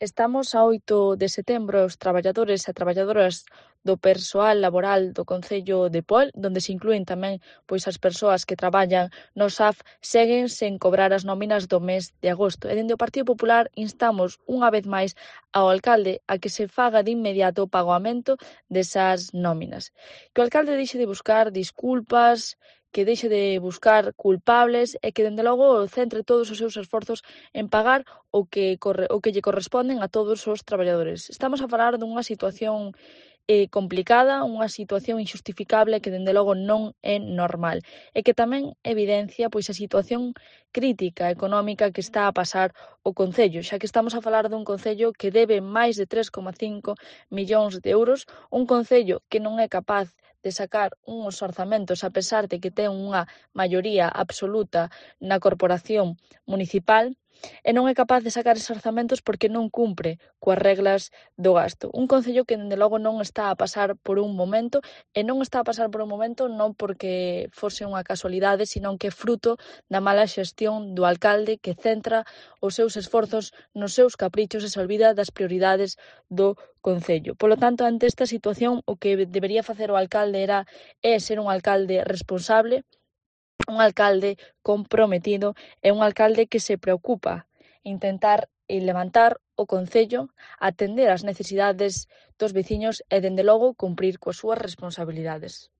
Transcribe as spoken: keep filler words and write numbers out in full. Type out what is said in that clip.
Estamos a oito de setembro e os traballadores e traballadoras do persoal laboral do concello de Pol, onde se inclúen tamén pois as persoas que traballan no S A F, seguen sen cobrar as nóminas do mes de agosto. E dende o Partido Popular instamos unha vez máis ao alcalde a que se faga de inmediato o pagamento desas nóminas. Que o alcalde deixe de buscar disculpas, que deixe de buscar culpables e que, dende logo, centre todos os seus esforzos en pagar o que, corre, o que lle corresponden a todos os traballadores. Estamos a falar dunha situación eh, complicada, unha situación injustificable que, dende logo, non é normal e que tamén evidencia pois a situación crítica económica que está a pasar o Concello, xa que estamos a falar dun Concello que debe máis de tres coma cinco millóns de euros, un Concello que non é capaz de sacar uns orzamentos a pesar de que ten unha maioría absoluta na corporación municipal, e non é capaz de sacar eses orzamentos porque non cumpre coas reglas do gasto. Un Concello que, dende logo, non está a pasar por un momento, e non está a pasar por un momento non porque fose unha casualidade, sino que é fruto da mala xestión do alcalde que centra os seus esforzos nos seus caprichos e se olvida das prioridades do Concello. Polo tanto, ante esta situación, o que debería facer o alcalde era é ser un alcalde responsable, un alcalde comprometido e un alcalde que se preocupa intentar levantar o Concello, atender as necesidades dos veciños e, dende logo, cumprir coas súas responsabilidades.